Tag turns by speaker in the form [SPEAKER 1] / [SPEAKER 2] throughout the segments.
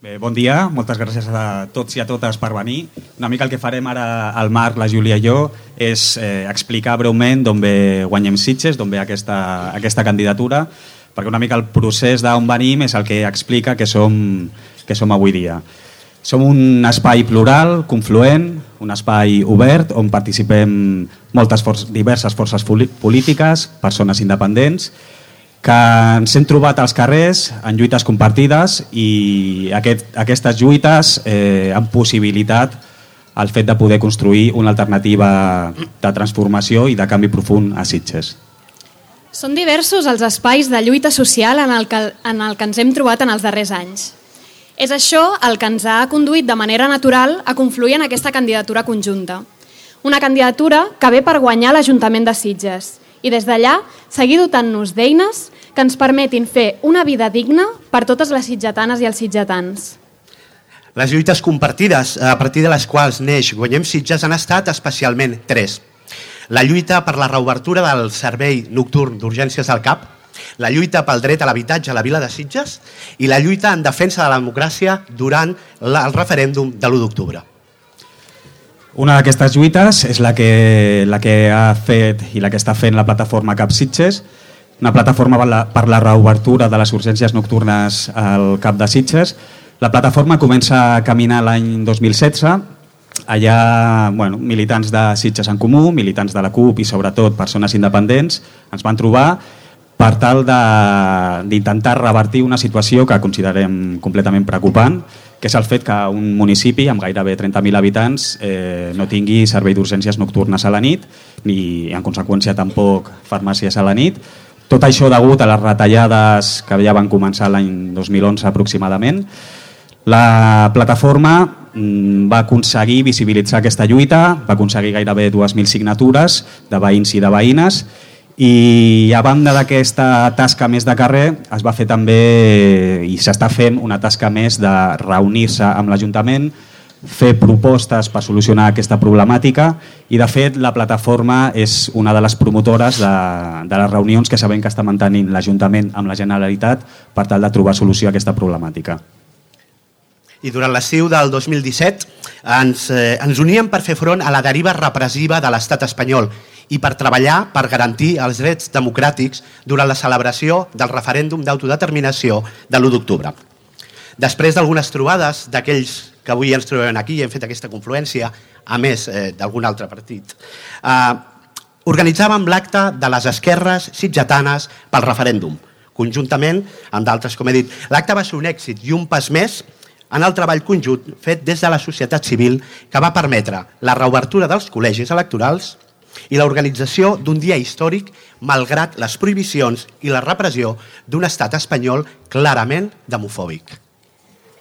[SPEAKER 1] Bé, bon dia, moltes gràcies a tots i a totes per venir. Una mica el que farem ara el Marc, la Júlia i jo és explicar breument d'on ve Guanyem Sitges, d'on ve aquesta candidatura, perquè una mica el procés d'on venim és el que explica que som avui dia. Som un espai plural, confluent, un espai obert on participem diverses forces polítiques, persones independents, que ens hem trobat als carrers en lluites compartides i aquestes lluites han possibilitat el fet de poder construir una alternativa de transformació i de canvi profund a Sitges.
[SPEAKER 2] Són diversos els espais de lluita social en el que ens hem trobat en els darrers anys. És això el que ens ha conduït de manera natural a confluir en aquesta candidatura conjunta. Una candidatura que ve per guanyar l'Ajuntament de Sitges i des d'allà seguir dotant-nos d'eines que ens permetin fer una vida digna per totes les sitgetanes i els sitgetans.
[SPEAKER 3] Les lluites compartides a partir de les quals neix Guanyem Sitges han estat especialment tres. La lluita per la reobertura del servei nocturn d'urgències del CAP, la lluita pel dret a l'habitatge a la vila de Sitges i la lluita en defensa de la democràcia durant el referèndum de l'1 d'octubre.
[SPEAKER 1] Una d'aquestes lluites és la que ha fet i la que està fent la plataforma CAP Sitges, una plataforma per la reobertura de les urgències nocturnes al CAP de Sitges. La plataforma comença a caminar l'any 2016. Allà militants de Sitges en Comú, militants de la CUP i sobretot persones independents ens van trobar per tal d'intentar revertir una situació que considerem completament preocupant, que és el fet que un municipi amb gairebé 30.000 habitants no tingui servei d'urgències nocturnes a la nit ni en conseqüència tampoc farmàcies a la nit. Tot això degut a les retallades que ja van començar l'any 2011 aproximadament. La plataforma va aconseguir visibilitzar aquesta lluita, va aconseguir gairebé 2.000 signatures de veïns i de veïnes i a banda d'aquesta tasca més de carrer es va fer també i s'està fent una tasca més de reunir-se amb l'Ajuntament, fer propostes per solucionar aquesta problemàtica i de fet la plataforma és una de les promotores de les reunions que sabem que està mantenint l'Ajuntament amb la Generalitat per tal de trobar solució a aquesta problemàtica.
[SPEAKER 3] I durant l'estiu del 2017 ens uníem per fer front a la deriva repressiva de l'estat espanyol i per treballar per garantir els drets democràtics durant la celebració del referèndum d'autodeterminació de l'1 d'octubre. Després d'algunes trobades d'aquells que avui ens trobem aquí i hem fet aquesta confluència, a més d'algun altre partit, organitzàvem l'acte de les esquerres sitgetanes pel referèndum, conjuntament amb d'altres, com he dit. L'acte va ser un èxit i un pas més en el treball conjunt fet des de la societat civil que va permetre la reobertura dels col·legis electorals i l'organització d'un dia històric malgrat les prohibicions i la repressió d'un estat espanyol clarament demofòbic.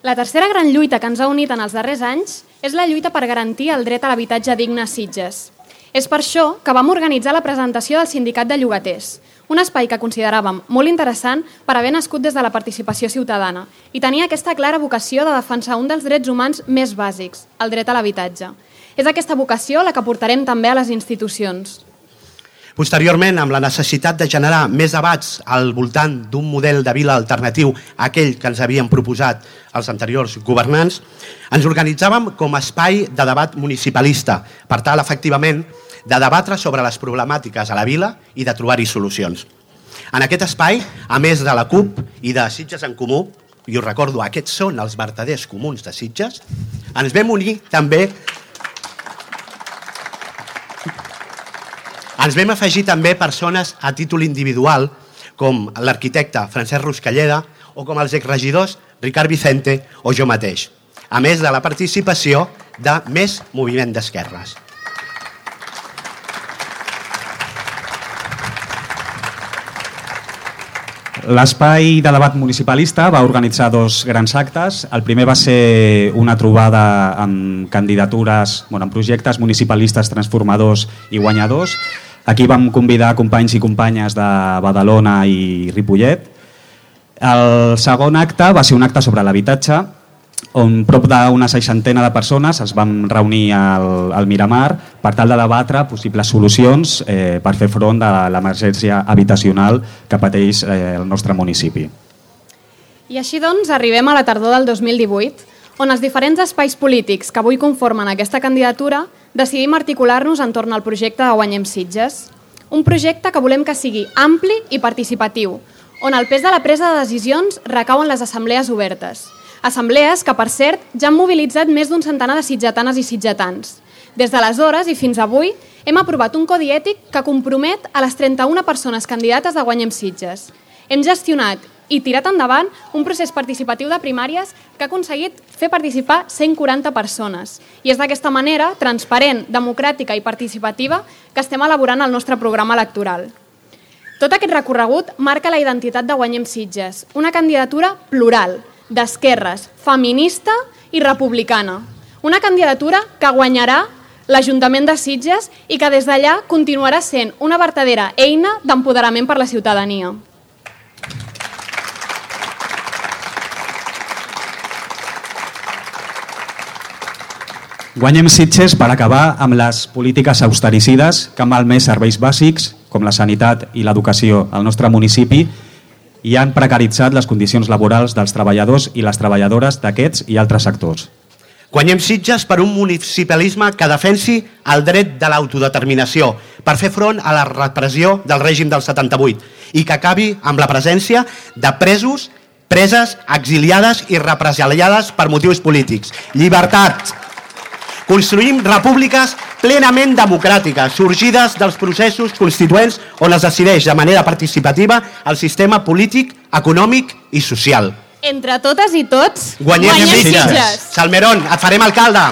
[SPEAKER 2] La tercera gran lluita que ens ha unit en els darrers anys és la lluita per garantir el dret a l'habitatge digne a Sitges. És per això que vam organitzar la presentació del Sindicat de Llogaters, un espai que consideràvem molt interessant per haver nascut des de la participació ciutadana i tenia aquesta clara vocació de defensar un dels drets humans més bàsics, el dret a l'habitatge. És aquesta vocació la que portarem també a les institucions.
[SPEAKER 3] Posteriorment, amb la necessitat de generar més debats al voltant d'un model de vila alternatiu a aquell que ens havien proposat els anteriors governants, ens organitzàvem com a espai de debat municipalista, per tal, efectivament, de debatre sobre les problemàtiques a la vila i de trobar-hi solucions. En aquest espai, a més de la CUP i de Sitges en Comú, i us recordo, aquests són els vertaders comuns de Sitges, ens vam unir també... Ens vam afegir també persones a títol individual, com l'arquitecte Francesc Ruscalleda o com els exregidors Ricard Vicente o jo mateix, a més de la participació de més moviment d'esquerres.
[SPEAKER 1] L'espai de debat municipalista va organitzar dos grans actes. El primer va ser una trobada amb candidatures, amb projectes municipalistes transformadors i guanyadors. Aquí vam convidar companys i companyes de Badalona i Ripollet. El segon acte va ser un acte sobre l'habitatge, on prop d'una 60 de persones es van reunir al Miramar per tal de debatre possibles solucions per fer front a l'emergència habitacional que pateix el nostre municipi.
[SPEAKER 2] I així doncs arribem a la tardor del 2018, on els diferents espais polítics que avui conformen aquesta candidatura decidim articular-nos entorn al projecte de Guanyem Sitges. Un projecte que volem que sigui ampli i participatiu, on el pes de la presa de decisions recau en les assemblees obertes. Assemblees que, per cert, ja han mobilitzat més d'un centenar de sitgetanes i sitgetans. Des d'aleshores i fins avui hem aprovat un codi ètic que compromet a les 31 persones candidates de Guanyem Sitges. Hem gestionat i tirat endavant un procés participatiu de primàries que ha aconseguit fer participar 140 persones. I és d'aquesta manera, transparent, democràtica i participativa, que estem elaborant el nostre programa electoral. Tot aquest recorregut marca la identitat de Guanyem Sitges, una candidatura plural, d'esquerres, feminista i republicana. Una candidatura que guanyarà l'Ajuntament de Sitges i que des d'allà continuarà sent una vertadera eina d'empoderament per la ciutadania.
[SPEAKER 1] Guanyem Sitges per acabar amb les polítiques austericides que han malmès serveis bàsics, com la sanitat i l'educació al nostre municipi, i han precaritzat les condicions laborals dels treballadors i les treballadores d'aquests i altres sectors.
[SPEAKER 3] Guanyem Sitges per un municipalisme que defensi el dret de l'autodeterminació, per fer front a la repressió del règim del 78 i que acabi amb la presència de presos, preses, exiliades i represaliades per motius polítics. Llibertat! Construïm repúbliques plenament democràtiques, sorgides dels processos constituents on es decideix de manera participativa el sistema polític, econòmic i social.
[SPEAKER 2] Entre totes i tots,
[SPEAKER 3] Guanyem Sitges! Salmerón, et farem alcalde!